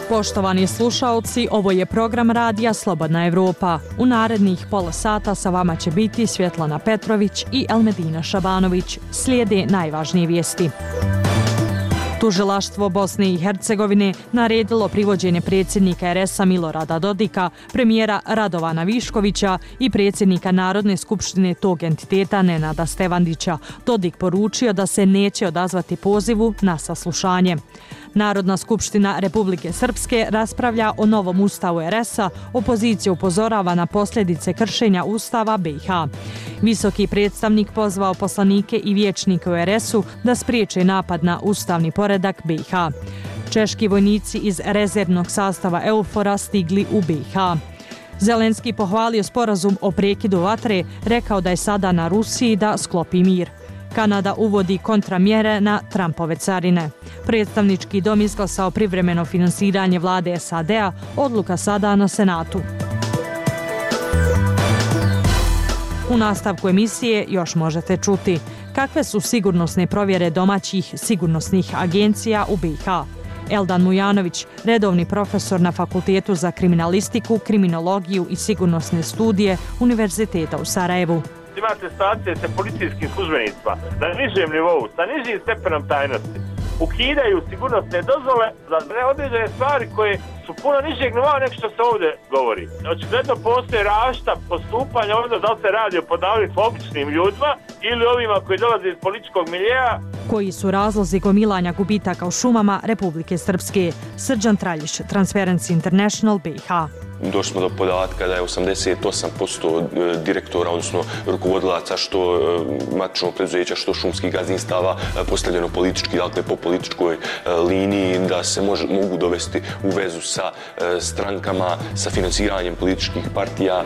Poštovani slušaoci, ovo je program radija Slobodna Evropa. U narednih pola sata sa vama će biti Svjetlana Petrović i Elmedina Šabanović. Slijede najvažnije vijesti. Tužilaštvo Bosne i Hercegovine naredilo privođenje predsjednika RS-a Milorada Dodika, premijera Radovana Viškovića i predsjednika Narodne skupštine tog entiteta Nenada Stevandića. Dodik poručio da se neće odazvati pozivu na saslušanje. Narodna skupština Republike Srpske raspravlja o novom ustavu RS-a, opozicija upozorava na posljedice kršenja ustava BiH. Visoki predstavnik pozvao poslanike i vijećnike u RS-u da spriječe napad na ustavni poredak BiH. Češki vojnici iz rezervnog sastava EUFOR-a stigli u BiH. Zelenski pohvalio sporazum o prekidu vatre, rekao da je sada na Rusiji da sklopi mir. Kanada uvodi kontramjere na Trumpove carine. Predstavnički dom izglasao privremeno finansiranje vlade SAD-a, odluka sada na Senatu. U nastavku emisije još možete čuti kakve su sigurnosne provjere domaćih sigurnosnih agencija u BiH. Eldan Mujanović, redovni profesor na Fakultetu za kriminalistiku, kriminologiju i sigurnosne studije Univerziteta u Sarajevu. Imate stacije sa policijskim službenicima na nižem nivou, sa nižim stepenom tajnosti. Ukidaju sigurnosne dozvole za neodređene stvari koje su puno nižeg nivoa nego što se ovdje govori. Očigledno postoje različita postupanja ovdje, da li se radi o podnavodnicima običnim ljudima ili ovima koji dolaze iz političkog miljeja. Koji su razlozi gomilanja gubitaka u šumama Republike Srpske? Srđan Traljić, Transparency International BiH. Došli smo do podatka da je 88% direktora, odnosno rukovodilaca što matičnog preduzeća, što šumskih gazdinstava postavljeno politički, dakle po političkoj liniji, da se mogu dovesti u vezu sa strankama, sa financiranjem političkih partija.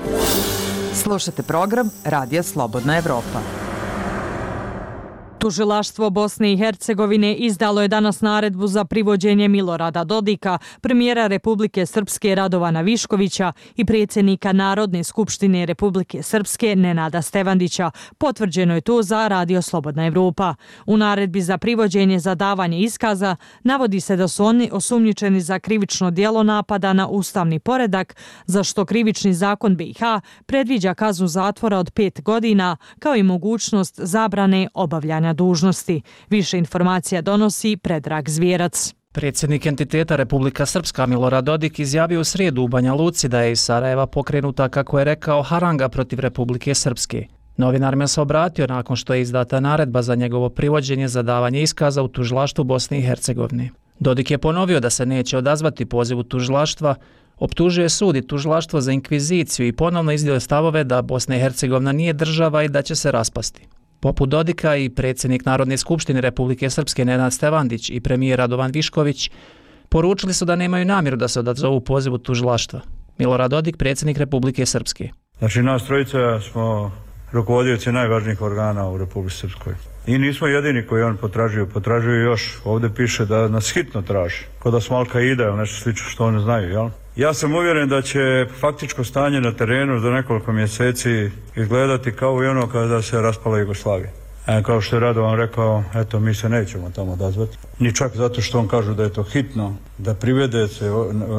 Slušajte program Radija Slobodna Evropa. Tužilaštvo Bosne i Hercegovine izdalo je danas naredbu za privođenje Milorada Dodika, premijera Republike Srpske Radovana Viškovića i predsjednika Narodne skupštine Republike Srpske Nenada Stevandića. Potvrđeno je to za Radio Slobodna Evropa. U naredbi za privođenje za davanje iskaza navodi se da su oni osumnjičeni za krivično djelo napada na ustavni poredak, za što krivični zakon BiH predviđa kaznu zatvora od 5 godina, kao i mogućnost zabrane obavljanja dužnosti. Više informacija donosi Predrag Zvjerac. Predsjednik entiteta Republika Srpska Milorad Dodik izjavio u srijedu u Banja Luci da je iz Sarajeva pokrenuta, kako je rekao, haranga protiv Republike Srpske. Novinarima se obratio nakon što je izdata naredba za njegovo privođenje za davanje iskaza u tužilaštvu Bosne i Hercegovine. Dodik je ponovio da se neće odazvati pozivu tužilaštva, optužuje sud i tužilaštvo za inkviziciju i ponovno iznio stavove da Bosna i Hercegovina nije država i da će se raspasti. Poput Dodika i predsjednik Narodne skupštine Republike Srpske Nenad Stevandić i premijer Radovan Višković poručili su da nemaju namjeru da se odazovu pozivu tužilaštva. Milorad Dodik, predsjednik Republike Srpske. Znači, nas trojica smo rukovodioci najvažnijih organa u Republike Srpskoj. I nismo jedini koji on potražuju još. Ovdje piše da nas hitno traži. Kao da smo Al-Qaida ili nešto slično što oni znaju, jel? Ja sam uvjeren da će faktičko stanje na terenu za nekoliko mjeseci izgledati kao i ono kada se raspala Jugoslavija. Kao što je Radovan rekao, eto, mi se nećemo tamo odazvati. Ni čak zato što on kažu da je to hitno, da privede se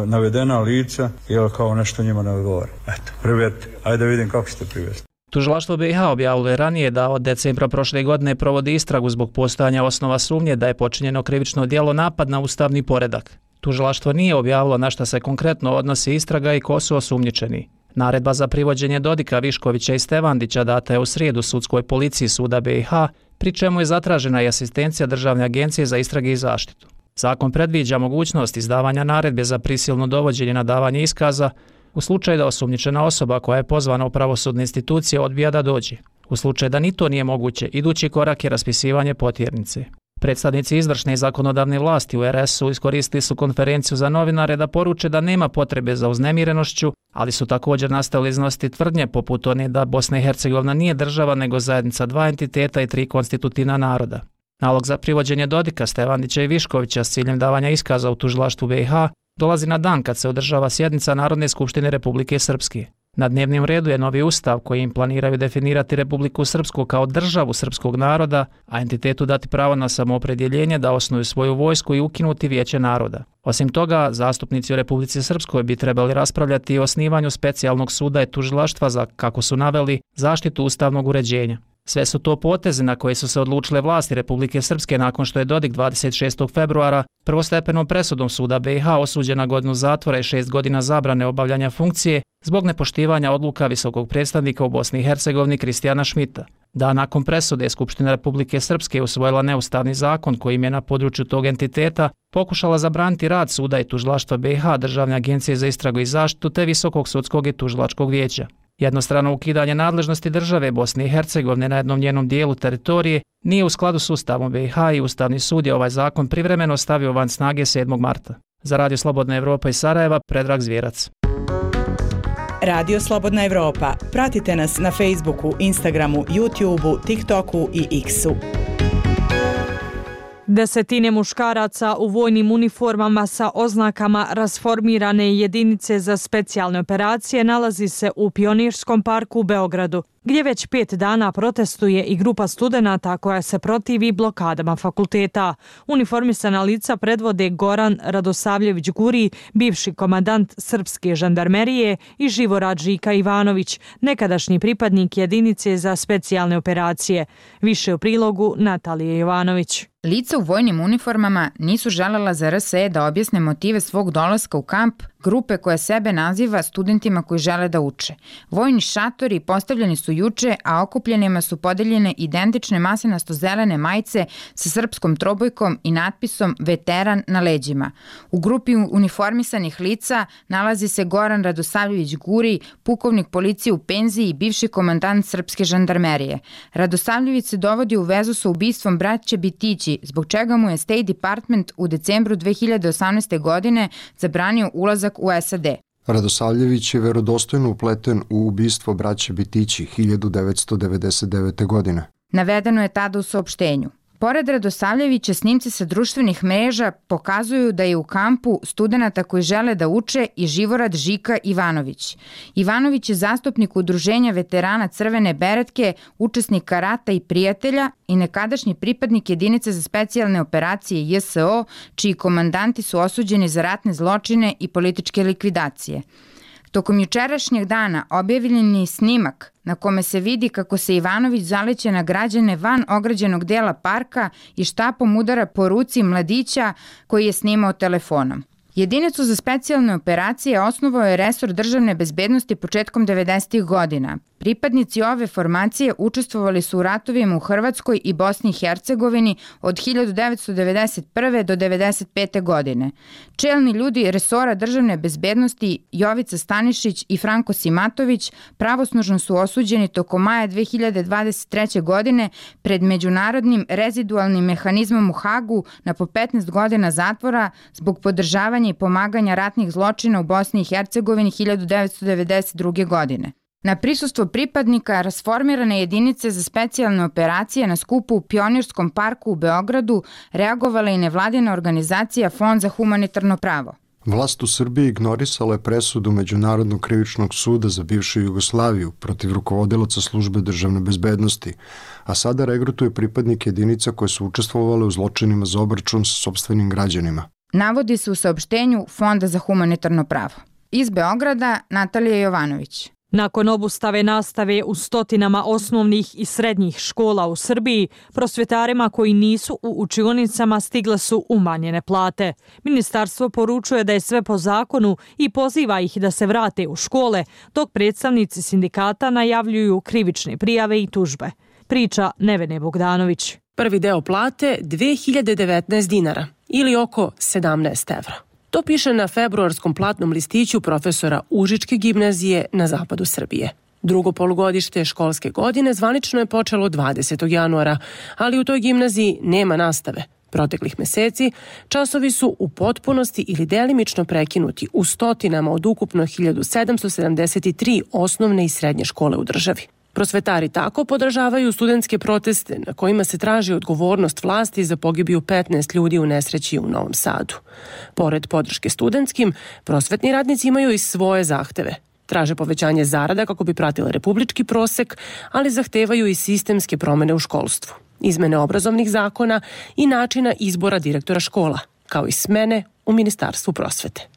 navedena lica, jer kao nešto njima ne odgovara. Eto, privedite, ajde vidim kako ćete privesti. Tužilaštvo BiH objavilo je ranije da od decembra prošle godine provodi istragu zbog postojanja osnova sumnje da je počinjeno krivično djelo napad na ustavni poredak. Tužilaštvo nije objavilo na šta se konkretno odnosi istraga i ko su osumnjičeni. Naredba za privođenje Dodika, Viškovića i Stevandića data je u srijedu sudskoj policiji suda BiH, pri čemu je zatražena i asistencija Državne agencije za istrage i zaštitu. Zakon predviđa mogućnost izdavanja naredbe za prisilno dovođenje na davanje iskaza u slučaju da osumnjičena osoba koja je pozvana u pravosudne institucije odbija da dođe. U slučaju da ni to nije moguće, idući korak je raspisivanje potjernice. Predstavnici izvršne i zakonodavne vlasti u RS-u iskoristili su konferenciju za novinare da poruče da nema potrebe za uznemirenošću, ali su također nastavili iznositi tvrdnje poput one da Bosna i Hercegovina nije država nego zajednica 2 entiteta i 3 konstitutivna naroda. Nalog za privođenje Dodika, Stevandića i Viškovića s ciljem davanja iskaza u tužilaštvu BiH dolazi na dan kad se održava sjednica Narodne skupštine Republike Srpske. Na dnevnom redu je novi ustav kojim planiraju definirati Republiku Srpsku kao državu srpskog naroda, a entitetu dati pravo na samoopredjeljenje da osnuju svoju vojsku i ukinuti Vijeće naroda. Osim toga, zastupnici u Republici Srpskoj bi trebali raspravljati i o osnivanju specijalnog suda i tužilaštva za, kako su naveli, zaštitu ustavnog uređenja. Sve su to poteze na koje su se odlučile vlasti Republike Srpske nakon što je Dodik 26. februara prvostepenom presudom suda BiH osuđen na godinu zatvora i 6 godina zabrane obavljanja funkcije zbog nepoštivanja odluka visokog predstavnika u Bosni i Hercegovini Kristijana Šmita. Da nakon presude Skupština Republike Srpske usvojila neustavni zakon kojim je na području tog entiteta pokušala zabraniti rad suda i tužilaštva BiH, Državne agencije za istragu i zaštitu te Visokog sudskog i tužilačkog vijeća. Jednostrano ukidanje nadležnosti države Bosne i Hercegovine na jednom njenom dijelu teritorije nije u skladu s Ustavom BiH i Ustavni sud je ovaj zakon privremeno stavio van snage 7. marta. Za Radio Slobodna Evropa iz Sarajeva, Predrag Zvjerac. Radio Slobodna Evropa. Pratite nas na Facebooku, Instagramu, YouTubeu, TikToku i X-u. Desetine muškaraca u vojnim uniformama sa oznakama rasformirane jedinice za specijalne operacije nalazi se u Pionirskom parku u Beogradu, gdje već 5 dana protestuje i grupa studenata koja se protivi blokadama fakulteta. Uniformisana lica predvode Goran Radosavljević Guri, bivši komandant srpske žandarmerije, i Živorad Žika Ivanović, nekadašnji pripadnik jedinice za specijalne operacije. Više u prilogu Natalije Jovanović. Lica u vojnim uniformama nisu želela za RSE da objasne motive svog dolaska u kamp grupe koja sebe naziva studentima koji žele da uče. Vojni šatori postavljeni su juče, a okupljenima su podeljene identične masinasto-zelene majice sa srpskom trobojkom i natpisom Veteran na leđima. U grupi uniformisanih lica nalazi se Goran Radosavljević Guri, pukovnik policije u penziji i bivši komandant srpske žandarmerije. Radosavljević se dovodi u vezu sa ubistvom braće Bitići, zbog čega mu je State Department u decembru 2018. godine zabranio ulazak u SAD. Radosavljević je verodostojno upleten u ubistvo braće Bitići 1999. godine. Navedeno je tada u saopštenju. Pored Radosavljevića, snimci sa društvenih mreža pokazuju da je u kampu studenata koji žele da uče i Živorad Žika Ivanović. Ivanović je zastupnik udruženja veterana Crvene beretke, učesnika rata i prijatelja i nekadašnji pripadnik jedinice za specijalne operacije JSO, čiji komandanti su osuđeni za ratne zločine i političke likvidacije. Tokom jučerašnjeg dana objavljen je snimak na kome se vidi kako se Ivanović zaleće na građane van ograđenog dela parka i štapom udara po ruci mladića koji je snimao telefonom. Jedinicu za specijalne operacije osnovao je resor državne bezbednosti početkom 90. godina. Pripadnici ove formacije učestvovali su u ratovima u Hrvatskoj i Bosni i Hercegovini od 1991. do 1995. godine. Čelni ljudi resora državne bezbednosti Jovica Stanišić i Franko Simatović pravosnažno su osuđeni tokom maja 2023. godine pred međunarodnim rezidualnim mehanizmom u Hagu na po 15 godina zatvora zbog podržavanja i pomaganja ratnih zločina u Bosni i Hercegovini 1992. godine. Na prisustvo pripadnika rasformirane jedinice za specijalne operacije na skupu u Pionirskom parku u Beogradu reagovala i nevladina organizacija Fond za humanitarno pravo. Vlast u Srbiji ignorisala je presudu Međunarodnog krivičnog suda za bivšu Jugoslaviju protiv rukovodilaca službe državne bezbednosti, a sada regrutuje pripadnike jedinica koje su učestvovale u zločinima za obračun sa sopstvenim građanima. Navodi se u saopštenju Fonda za humanitarno pravo. Iz Beograda, Natalija Jovanović. Nakon obustave nastave u stotinama osnovnih i srednjih škola u Srbiji, prosvjetarima koji nisu u učionicama stigle su umanjene plate. Ministarstvo poručuje da je sve po zakonu i poziva ih da se vrate u škole, dok predstavnici sindikata najavljuju krivične prijave i tužbe. Priča Nevene Bogdanović. Prvi deo plate 2019 dinara ili oko 17 evra. To piše na februarskom platnom listiću profesora Užičke gimnazije na zapadu Srbije. Drugo polugodište školske godine zvanično je počelo 20. januara, ali u toj gimnaziji nema nastave. Proteklih meseci časovi su u potpunosti ili delimično prekinuti u stotinama od ukupno 1773 osnovne i srednje škole u državi. Prosvetari tako podržavaju studentske proteste na kojima se traži odgovornost vlasti za pogibiju 15 ljudi u nesreći u Novom Sadu. Pored podrške studentskim, prosvetni radnici imaju i svoje zahteve. Traže povećanje zarada kako bi pratile republički prosek, ali zahtevaju i sistemske promene u školstvu, izmene obrazovnih zakona i načina izbora direktora škola, kao i smene u Ministarstvu prosvete.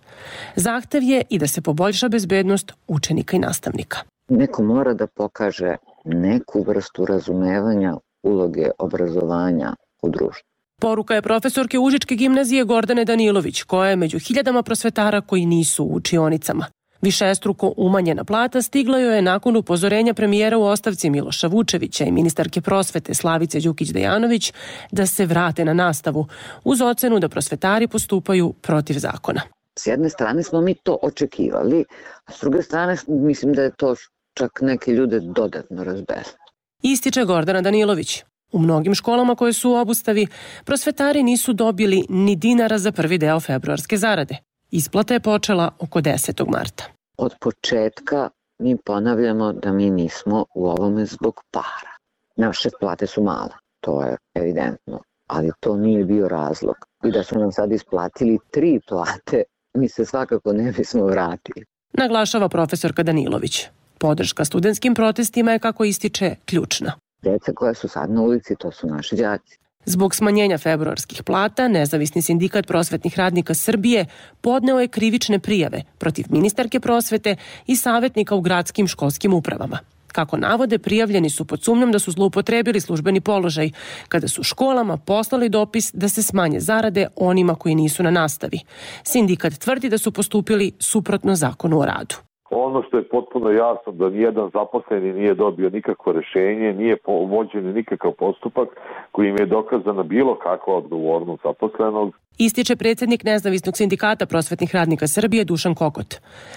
Zahtev je i da se poboljša bezbednost učenika i nastavnika. Neko mora da pokaže neku vrstu razumevanja uloge obrazovanja u društvu. Poruka je profesorke Užičke gimnazije Gordane Danilović, koja je među hiljadama prosvetara koji nisu u učionicama. Višestruko umanjena plata stigla joj je nakon upozorenja premijera u ostavci Miloša Vučevića i ministarke prosvete Slavice Đukić-Dejanović da se vrate na nastavu, uz ocenu da prosvetari postupaju protiv zakona. S jedne strane smo mi to očekivali, a s druge strane mislim da je to čak neke ljude dodatno razbesnilo. Ističe Gordana Danilović. U mnogim školama koje su u obustavi, prosvetari nisu dobili ni dinara za prvi deo februarske zarade. Isplata je počela oko 10. marta. Od početka mi ponavljamo da mi nismo u ovome zbog para. Naše plate su male, to je evidentno, ali to nije bio razlog. I da su nam sad isplatili 3 plate, mi se svakako ne bismo vratili. Naglašava profesorka Danilović. Podrška studentskim protestima je, kako ističe, ključna. Deca koja su sad na ulici, to su naši đaci. Zbog smanjenja februarskih plata, Nezavisni sindikat prosvetnih radnika Srbije podneo je krivične prijave protiv ministarke prosvete i savjetnika u gradskim školskim upravama. Kako navode, prijavljeni su pod sumnjom da su zloupotrebili službeni položaj, kada su školama poslali dopis da se smanje zarade onima koji nisu na nastavi. Sindikat tvrdi da su postupili suprotno zakonu o radu. Ono što je potpuno jasno da nijedan zaposleni nije dobio nikakvo rješenje, nije vođen nikakav postupak kojim je dokazana bilo kakva odgovornost zaposlenog. Ističe predsjednik Nezavisnog sindikata prosvetnih radnika Srbije Dušan Kokot.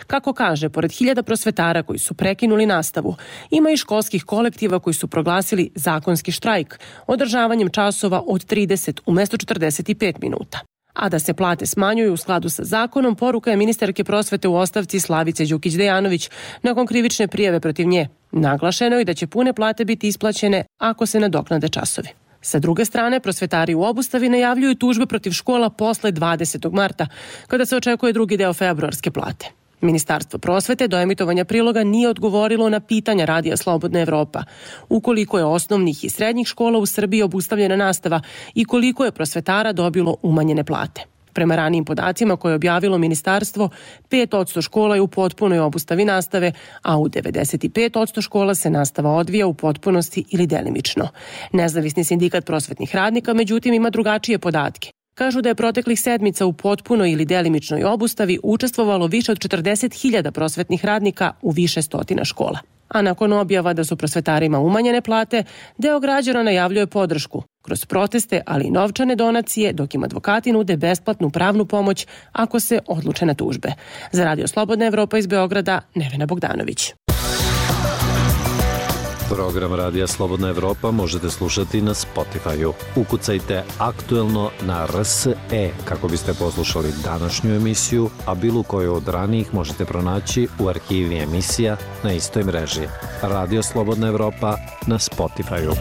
Kako kaže, pored 1000 prosvetara koji su prekinuli nastavu, ima i školskih kolektiva koji su proglasili zakonski štrajk održavanjem časova od 30 umjesto 45 minuta. A da se plate smanjuju u skladu sa zakonom, poruka je ministarke prosvete u ostavci Slavice Đukić-Dejanović nakon krivične prijave protiv nje. Naglašeno je da će pune plate biti isplaćene ako se nadoknade časovi. Sa druge strane, prosvetari u obustavi najavljuju tužbe protiv škola posle 20. marta, kada se očekuje drugi deo februarske plate. Ministarstvo prosvete do emitovanja priloga nije odgovorilo na pitanja Radija Slobodna Evropa. Ukoliko je osnovnih i srednjih škola u Srbiji obustavljena nastava i koliko je prosvetara dobilo umanjene plate. Prema ranijim podacima koje je objavilo ministarstvo, 5% škola je u potpunoj obustavi nastave, a u 95% škola se nastava odvija u potpunosti ili delimično. Nezavisni sindikat prosvetnih radnika, međutim, ima drugačije podatke. Kažu da je proteklih sedmica u potpunoj ili delimičnoj obustavi učestvovalo više od 40.000 prosvetnih radnika u više stotina škola. A nakon objava da su prosvetarima umanjene plate, deo građana najavljuje podršku kroz proteste, ali i novčane donacije, dok im advokati nude besplatnu pravnu pomoć ako se odluče na tužbe. Za Radio Slobodna Evropa iz Beograda, Nevena Bogdanović. Program Radija Slobodna Evropa možete slušati na Spotify-u. Ukucajte Aktuelno na RSE kako biste poslušali današnju emisiju, a bilo koju od ranijih možete pronaći u arhivi emisija na istoj mreži. Radio Slobodna Evropa na Spotify-u.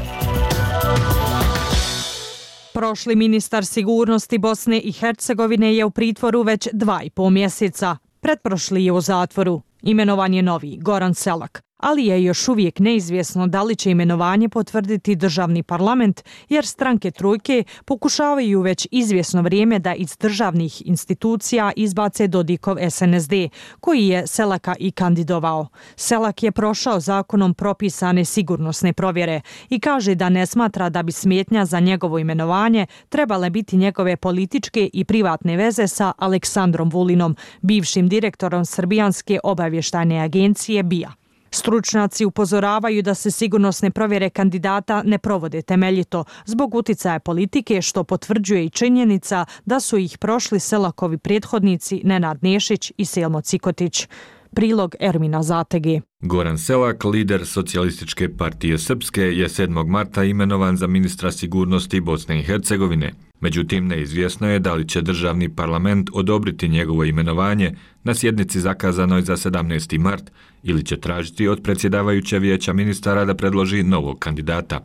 Prošli ministar sigurnosti Bosne i Hercegovine je u pritvoru već 2,5 mjeseca. Pretprošli je u zatvoru. Imenovan je novi, Goran Selak, ali je još uvijek neizvjesno da li će imenovanje potvrditi državni parlament, jer stranke trojke pokušavaju već izvjesno vrijeme da iz državnih institucija izbace Dodikov SNSD, koji je Selaka i kandidovao. Selak je prošao zakonom propisane sigurnosne provjere i kaže da ne smatra da bi smetnja za njegovo imenovanje trebale biti njegove političke i privatne veze sa Aleksandrom Vulinom, bivšim direktorom Srbijanske obavještajne agencije BIA. Stručnjaci upozoravaju da se sigurnosne provjere kandidata ne provode temeljito zbog uticaja politike, što potvrđuje i činjenica da su ih prošli Selakovi prethodnici Nenad Nešić i Selmo Cikotić. Prilog Ermina Zatege. Goran Selak, lider Socijalističke partije Srpske, je 7. marta imenovan za ministra sigurnosti Bosne i Hercegovine. Međutim, neizvjesno je da li će državni parlament odobriti njegovo imenovanje na sjednici zakazanoj za 17. mart ili će tražiti od predsjedavajuće vijeća ministara da predloži novog kandidata.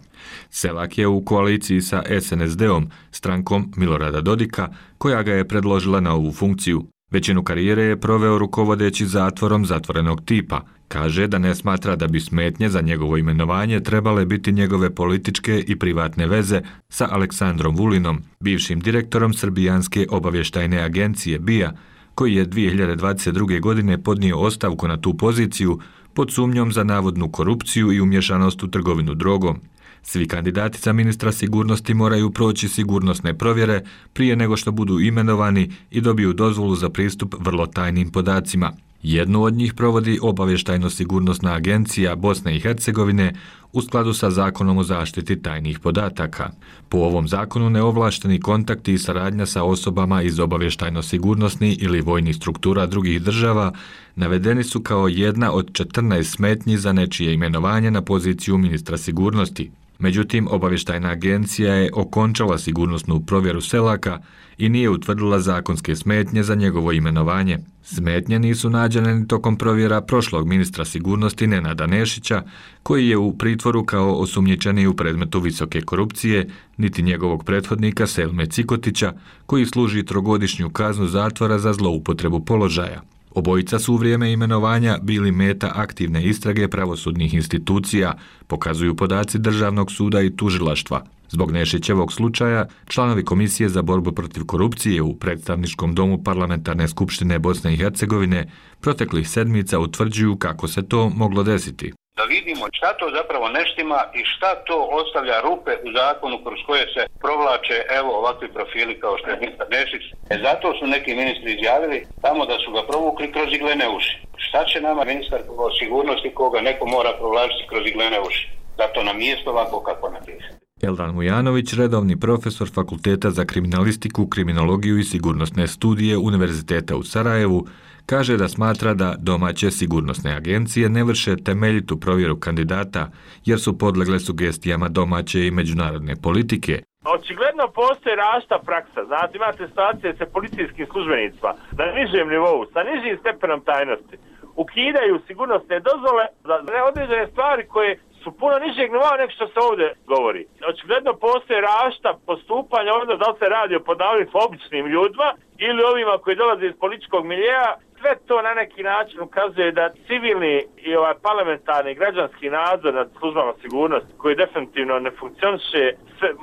Selak je u koaliciji sa SNSD-om, strankom Milorada Dodika, koja ga je predložila na ovu funkciju. Većinu karijere je proveo rukovodeći zatvorom zatvorenog tipa. Kaže da ne smatra da bi smetnje za njegovo imenovanje trebale biti njegove političke i privatne veze sa Aleksandrom Vulinom, bivšim direktorom Srbijanske obavještajne agencije BIA, koji je 2022. godine podnio ostavku na tu poziciju pod sumnjom za navodnu korupciju i umješanost u trgovinu drogom. Svi kandidati za ministra sigurnosti moraju proći sigurnosne provjere prije nego što budu imenovani i dobiju dozvolu za pristup vrlo tajnim podacima. Jednu od njih provodi Obavještajno-sigurnosna agencija Bosne i Hercegovine u skladu sa Zakonom o zaštiti tajnih podataka. Po ovom zakonu neovlašteni kontakti i saradnja sa osobama iz obavještajno-sigurnosnih ili vojnih struktura drugih država navedeni su kao jedna od 14 smetnji za nečije imenovanje na poziciju ministra sigurnosti. Međutim, obavještajna agencija je okončala sigurnosnu provjeru Selaka i nije utvrdila zakonske smetnje za njegovo imenovanje. Smetnje nisu nađene ni tokom provjera prošlog ministra sigurnosti Nenada Nešića, koji je u pritvoru kao osumnjičeni u predmetu visoke korupcije, niti njegovog prethodnika Selme Cikotića, koji služi 3-godišnju kaznu zatvora za zloupotrebu položaja. Obojica su u vrijeme imenovanja bili meta aktivne istrage pravosudnih institucija, pokazuju podaci Državnog suda i tužilaštva. Zbog Nešićevog slučaja, članovi Komisije za borbu protiv korupcije u Predstavničkom domu Parlamentarne skupštine Bosne i Hercegovine proteklih sedmica utvrđuju kako se to moglo desiti. Da vidimo šta to zapravo neštima i šta to ostavlja rupe u zakonu kroz koje se provlače ovakvi profili kao što je ministar Nešić. Zato su neki ministri izjavili tamo da su ga provukli kroz iglene uši. Šta će nama ministar sigurnosti koga neko mora provlačiti kroz iglene uši? Zato nam mjesto ovako kako napisati. Eldan Mujanović, redovni profesor Fakulteta za kriminalistiku, kriminologiju i sigurnosne studije Univerziteta u Sarajevu, kaže da smatra da domaće sigurnosne agencije ne vrše temeljitu provjeru kandidata jer su podlegle sugestijama domaće i međunarodne politike. Očigledno postoji različita praksa. Znate, imate situacije sa policijskim službenicima na nižem nivou, sa nižim stepenom tajnosti. Ukidaju sigurnosne dozvole za određene stvari koje su puno nižeg nivoa nego što se ovdje govori. Očigledno postoje različita postupanja ovdje, da li se radi o podavljenim običnim ljudima ili ovima koji dolaze iz političkog miljeja. Sve to na neki način ukazuje da civilni i parlamentarni građanski nadzor nad službama sigurnosti koji definitivno ne funkcioniše,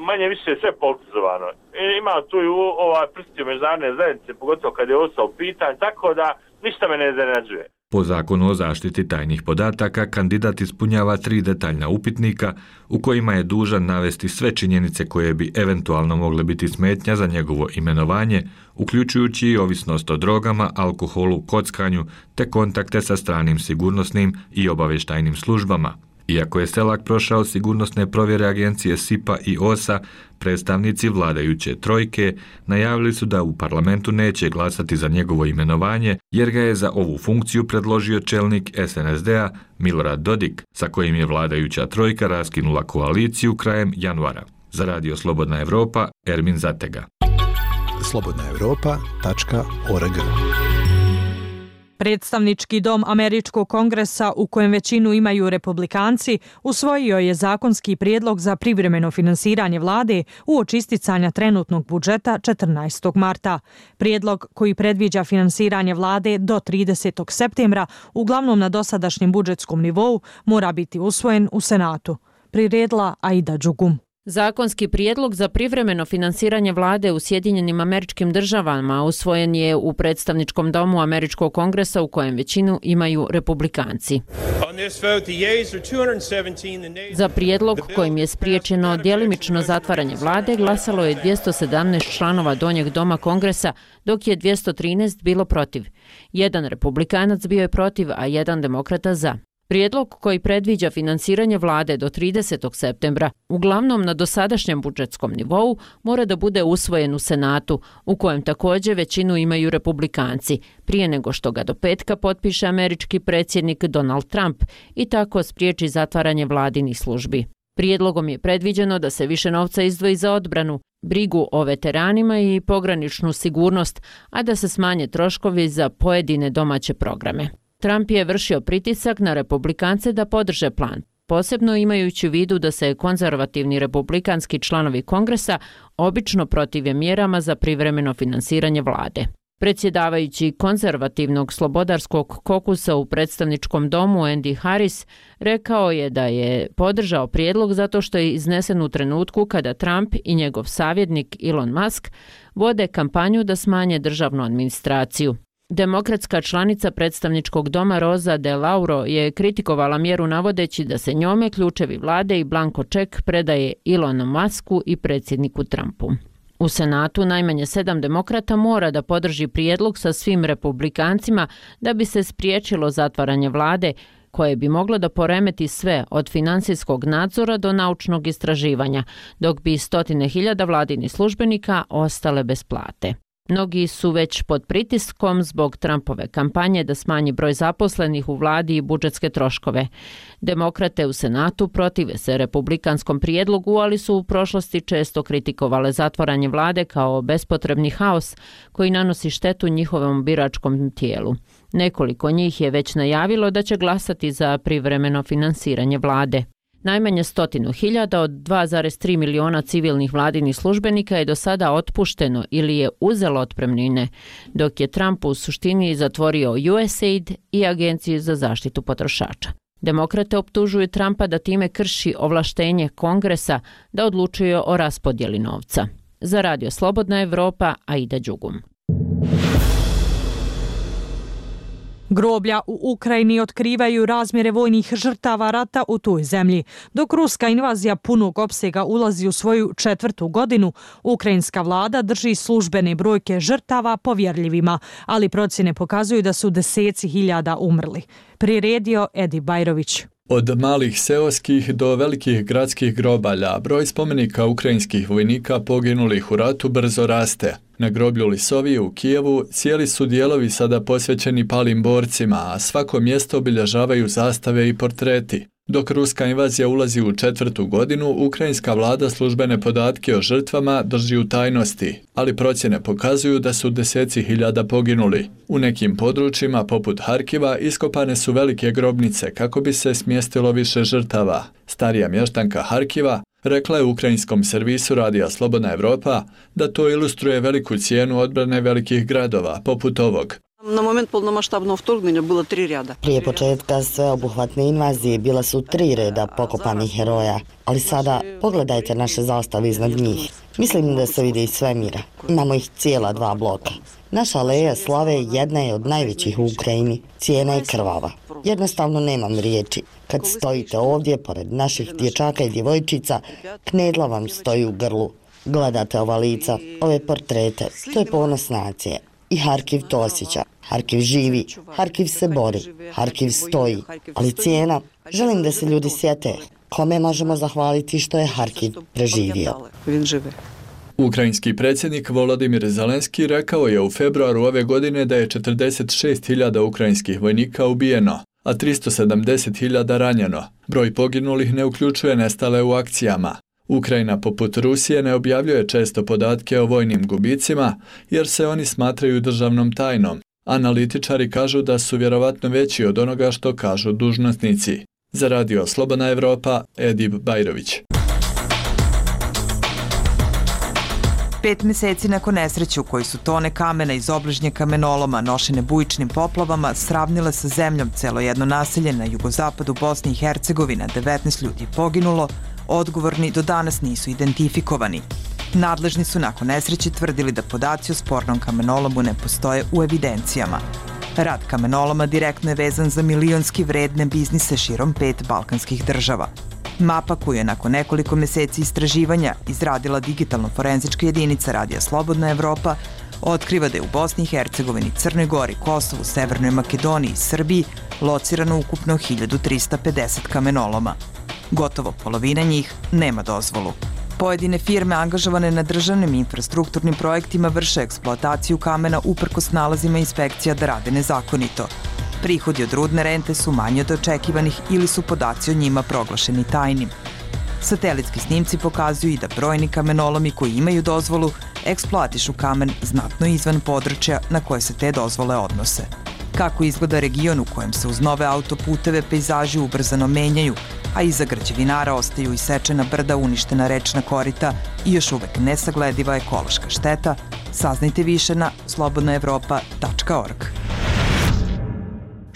manje više sve politizovano. Ima tu i prstiju međunarodne zajednice, pogotovo kad je ostao pitanje, tako da ništa me ne iznenađuje. Po zakonu o zaštiti tajnih podataka, kandidat ispunjava 3 detaljna upitnika u kojima je dužan navesti sve činjenice koje bi eventualno mogle biti smetnja za njegovo imenovanje, uključujući i ovisnost o drogama, alkoholu, kockanju te kontakte sa stranim sigurnosnim i obavještajnim službama. Iako je Selak prošao sigurnosne provjere agencije SIPA i OSA, predstavnici vladajuće trojke najavili su da u parlamentu neće glasati za njegovo imenovanje jer ga je za ovu funkciju predložio čelnik SNSD-a Milorad Dodik, sa kojim je vladajuća trojka raskinula koaliciju krajem januara. Za Radio Slobodna Evropa, Ermin Zatega. slobodnaevropa.org. Predstavnički dom Američkog kongresa, u kojem većinu imaju republikanci, usvojio je zakonski prijedlog za privremeno finansiranje vlade uoči isticanja trenutnog budžeta 14. marta. Prijedlog koji predviđa finansiranje vlade do 30. septembra, uglavnom na dosadašnjem budžetskom nivou, mora biti usvojen u Senatu. Priredila Aida Đugum. Zakonski prijedlog za privremeno finansiranje vlade u Sjedinjenim Američkim Državama usvojen je u predstavničkom domu Američkog kongresa u kojem većinu imaju republikanci. Za prijedlog kojim je spriječeno djelimično zatvaranje vlade glasalo je 217 članova donjeg doma kongresa, dok je 213 bilo protiv. Jedan republikanac bio je protiv, a jedan demokrata za. Prijedlog koji predviđa finansiranje vlade do 30. septembra, uglavnom na dosadašnjem budžetskom nivou, mora da bude usvojen u Senatu, u kojem također većinu imaju republikanci, prije nego što ga do petka potpiše američki predsjednik Donald Trump i tako spriječi zatvaranje vladinih službi. Prijedlogom je predviđeno da se više novca izdvoji za odbranu, brigu o veteranima i pograničnu sigurnost, a da se smanje troškovi za pojedine domaće programe. Trump je vršio pritisak na republikance da podrže plan, posebno imajući u vidu da se konzervativni republikanski članovi kongresa obično protive mjerama za privremeno finansiranje vlade. Predsjedavajući konzervativnog slobodarskog kokusa u predstavničkom domu Andy Harris rekao je da je podržao prijedlog zato što je iznesen u trenutku kada Trump i njegov savjetnik Elon Musk vode kampanju da smanje državnu administraciju. Demokratska članica predstavničkog doma Rosa DeLauro je kritikovala mjeru navodeći da se njome ključevi vlade i blanko ček predaje Elonu Musku i predsjedniku Trumpu. U Senatu najmanje 7 demokrata mora da podrži prijedlog sa svim republikancima da bi se spriječilo zatvaranje vlade, koje bi moglo da poremeti sve od finansijskog nadzora do naučnog istraživanja, dok bi 100.000 vladinih službenika ostale bez plate. Mnogi su već pod pritiskom zbog Trumpove kampanje da smanji broj zaposlenih u vladi i budžetske troškove. Demokrate u Senatu protive se republikanskom prijedlogu, ali su u prošlosti često kritikovale zatvaranje vlade kao bespotrebni haos koji nanosi štetu njihovom biračkom tijelu. Nekoliko njih je već najavilo da će glasati za privremeno finansiranje vlade. Najmanje 100.000 od 2,3 miliona civilnih vladinih službenika je do sada otpušteno ili je uzelo otpremnine, dok je Trump u suštini zatvorio USAID i Agenciju za zaštitu potrošača. Demokrate optužuju Trumpa da time krši ovlaštenje Kongresa da odlučuje o raspodjeli novca. Za Radio Slobodna Evropa, Aida Đugum. Groblja u Ukrajini otkrivaju razmjere vojnih žrtava rata u toj zemlji. Dok ruska invazija punog opsega ulazi u svoju 4. godinu, ukrajinska vlada drži službene brojke žrtava povjerljivima, ali procjene pokazuju da su deseci hiljada umrli. Priredio Edi Bajrović. Od malih seoskih do velikih gradskih grobalja, broj spomenika ukrajinskih vojnika poginulih u ratu brzo raste. Na groblju Lisovije u Kijevu cijeli su dijelovi sada posvećeni palim borcima, a svako mjesto obilježavaju zastave i portreti. Dok ruska invazija ulazi u 4. godinu, ukrajinska vlada službene podatke o žrtvama drži u tajnosti, ali procjene pokazuju da su deseci hiljada poginuli. U nekim područjima, poput Harkiva, iskopane su velike grobnice kako bi se smjestilo više žrtava. Starija mještanka Harkiva rekla je ukrajinskom servisu Radija Slobodna Evropa da to ilustruje veliku cijenu odbrane velikih gradova, poput ovog. Na moment polnomaštavnog vtorgnuća bilo 3 reda. Prije početka sveobuhvatne invazije bila su 3 reda pokopanih heroja, ali sada pogledajte naše zastave iznad njih. Mislim da se vidi iz svemira. Imamo ih cijela 2 bloka. Naša aleja slave jedna je od najvećih u Ukrajini. Cijena je krvava. Jednostavno nemam riječi. Kad stojite ovdje, pored naših dječaka i djevojčica, knedla vam stoji u grlu. Gledate ova lica, ove portrete. To je ponos nacije. I Harkiv to osjeća. Harkiv živi, Harkiv se bori, Harkiv stoji. Ali cijena, želim da se ljudi sjete kome možemo zahvaliti što je Harkiv preživio. Ukrajinski predsjednik Volodimir Zelenski rekao je u februaru ove godine da je 46.000 ukrajinskih vojnika ubijeno, a 370.000 ranjeno. Broj poginulih ne uključuje nestale u akcijama. Ukrajina, poput Rusije, ne objavljuje često podatke o vojnim gubicima jer se oni smatraju državnom tajnom. Analitičari kažu da su vjerovatno veći od onoga što kažu dužnosnici. Za Radio Slobodna Evropa, Edib Bajrović. 5 mjeseci nakon nesreće u kojoj su tone kamena iz obližnje kamenoloma nošene bujičnim poplavama sravnile sa zemljom celo jedno naselje na jugozapadu Bosne i Hercegovine, 19 ljudi je poginulo, odgovorni do danas nisu identifikovani. Nadležni su nakon nesreće tvrdili da podaci o spornom kamenolomu ne postoje u evidencijama. Rad kamenoloma direktno je vezan za milionski vredne biznise širom 5 balkanskih država. Mapa koju je nakon nekoliko mjeseci istraživanja izradila digitalno-forenzička jedinica Radija Slobodna Evropa otkriva da je u Bosni i Hercegovini, Crnoj Gori, Kosovu, Severnoj Makedoniji i Srbiji locirano ukupno 1350 kamenoloma. Gotovo polovina njih nema dozvolu. Pojedine firme angažovane na državnim infrastrukturnim projektima vrše eksploataciju kamena uprkos nalazima inspekcija da rade nezakonito. Prihodi od rudne rente su manji od očekivanih ili su podaci o njima proglašeni tajnim. Satelitski snimci pokazuju i da brojni kamenolomi koji imaju dozvolu eksploatišu kamen znatno izvan područja na koje se te dozvole odnose. Kako izgleda region u kojem se uz nove autoputeve pejzaži ubrzano menjaju, a iza građevinara ostaju isečena brda, uništena rečna korita i još uvek nesaglediva ekološka šteta, saznajte više na slobodnaevropa.org.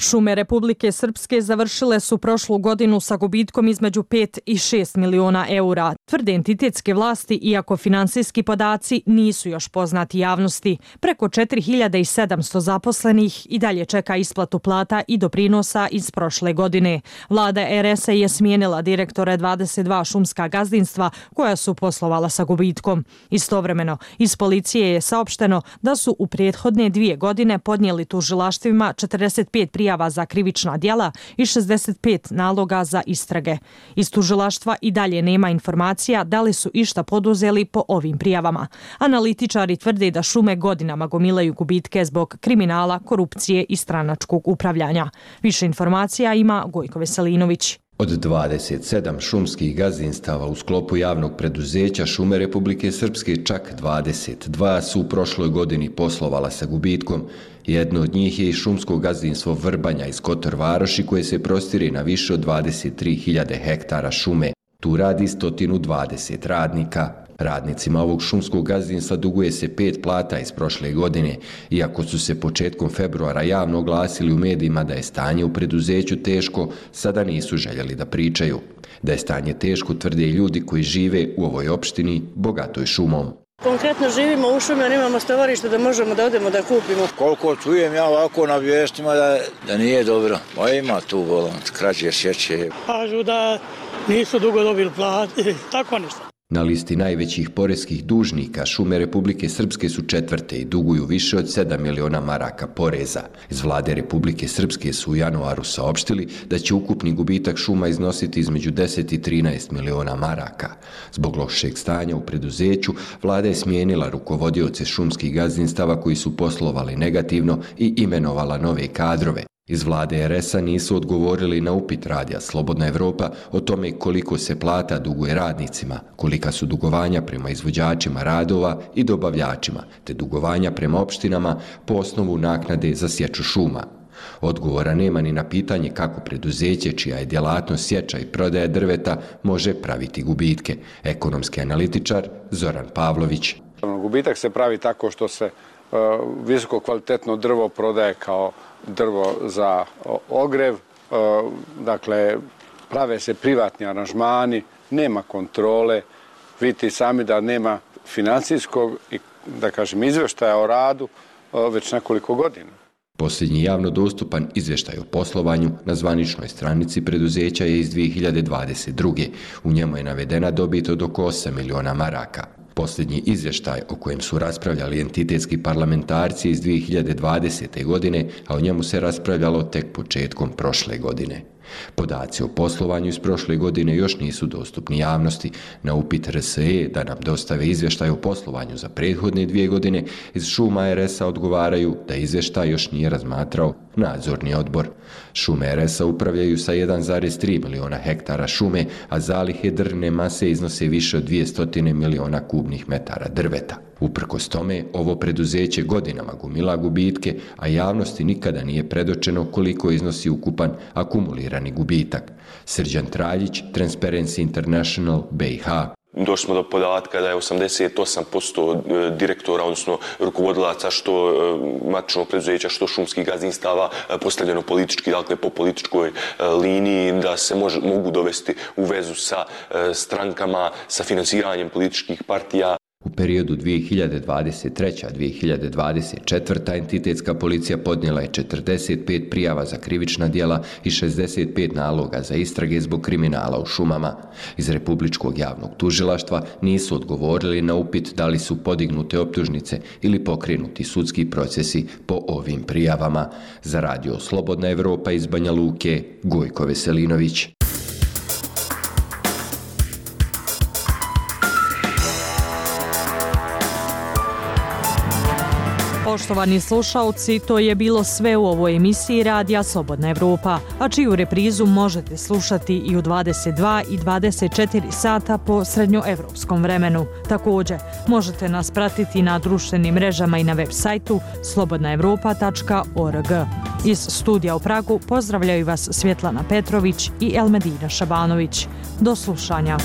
Šume Republike Srpske završile su prošlu godinu sa gubitkom između 5 i 6 miliona eura. Tvrde entitetske vlasti, iako finansijski podaci nisu još poznati javnosti. Preko 4700 zaposlenih i dalje čeka isplatu plata i doprinosa iz prošle godine. Vlada RS-a je smijenila direktore 22 šumska gazdinstva koja su poslovala sa gubitkom. Istovremeno, iz policije je saopšteno da su u prethodne 2 godine podnijeli tužilaštvima 45 prijava za krivična djela i 65 naloga za istrage. Iz tužilaštva i dalje nema informacija da li su išta poduzeli po ovim prijavama. Analitičari tvrde da šume godinama gomilaju gubitke zbog kriminala, korupcije i stranačkog upravljanja. Više informacija ima Gojko Veselinović. Od 27 šumskih gazdinstava u sklopu javnog preduzeća Šume Republike Srpske čak 22 su u prošloj godini poslovala sa gubitkom. Jedno od njih je i šumsko gazdinstvo Vrbanja iz Kotor Varoši koje se prostire na više od 23.000 hektara šume. Tu radi 120 radnika. Radnicima ovog šumskog gazdinstva duguje se 5 plata iz prošle godine, iako su se početkom februara javno oglasili u medijima da je stanje u preduzeću teško, sada nisu željeli da pričaju. Da je stanje teško tvrde i ljudi koji žive u ovoj opštini bogatoj šumom. Konkretno živimo u šumi, nemamo stovarište da možemo da odemo da kupimo. Koliko čujem ja ovako na vijestima da nije dobro. Pa ima tu volant, krađe, sjeće. Kažu da nisu dugo dobili plati, tako nešto. Na listi najvećih poreskih dužnika Šume Republike Srpske su 4. i duguju više od 7 miliona maraka poreza. Iz vlade Republike Srpske su u januaru saopštili da će ukupni gubitak šuma iznositi između 10 i 13 miliona maraka. Zbog lošeg stanja u preduzeću, vlada je smijenila rukovodioce šumskih gazdinstava koji su poslovali negativno i imenovala nove kadrove. Iz vlade RS-a nisu odgovorili na upit radija Slobodna Evropa o tome koliko se plata duguje radnicima, kolika su dugovanja prema izvođačima radova i dobavljačima, te dugovanja prema opštinama po osnovu naknade za sječu šuma. Odgovora nema ni na pitanje kako preduzeće, čija je djelatnost sječa i prodaja drveta, može praviti gubitke. Ekonomski analitičar Zoran Pavlović. Gubitak se pravi tako što se visoko kvalitetno drvo prodaje kao drvo za ogrev, dakle prave se privatni aranžmani, nema kontrole, vidite sami da nema financijskog i da kažem izvještaja o radu već nekoliko godina. Posljednji javno dostupan izvještaj o poslovanju na zvaničnoj stranici preduzeća je iz 2022. U njemu je navedena dobit od oko 8 miliona maraka. Posljednji izvještaj o kojem su raspravljali entitetski parlamentarci iz 2020. godine, a o njemu se raspravljalo tek početkom prošle godine. Podaci o poslovanju iz prošle godine još nisu dostupni javnosti. Na upit RSE da nam dostave izvještaj o poslovanju za prethodne 2 godine, iz Šuma RS-a odgovaraju da izvještaj još nije razmatrao nadzorni odbor. Šume RS-a upravljaju sa 1,3 miliona hektara šume, a zalihe drvne mase iznose više od 200 miliona kubnih metara drveta. Uprkos tome, ovo preduzeće godinama gomila gubitke, a javnosti nikada nije predočeno koliko iznosi ukupan akumulirani gubitak. Srđan Traljić, Transparency International, BiH. Došli smo do podatka da je 88% direktora, odnosno rukovodilaca što matičnog preduzeća, što šumskih gazdinstava postavljeno politički, dakle po političkoj liniji, da se mogu dovesti u vezu sa strankama, sa finansiranjem političkih partija. U periodu 2023-2024. entitetska policija podnijela je 45 prijava za krivična djela i 65 naloga za istrage zbog kriminala u šumama. Iz Republičkog javnog tužilaštva nisu odgovorili na upit da li su podignute optužnice ili pokrenuti sudski procesi po ovim prijavama. Za radio Slobodna Evropa iz Banja Luke, Gojko Veselinović. Poštovani slušalci, to je bilo sve u ovoj emisiji Radija Slobodna Evropa, a čiju reprizu možete slušati i u 22 i 24 sata po srednjoevropskom vremenu. Također, možete nas pratiti na društvenim mrežama i na web sajtu slobodnaevropa.org. Iz studija u Pragu pozdravljaju vas Svjetlana Petrović i Elmedina Šabanović. Do slušanja.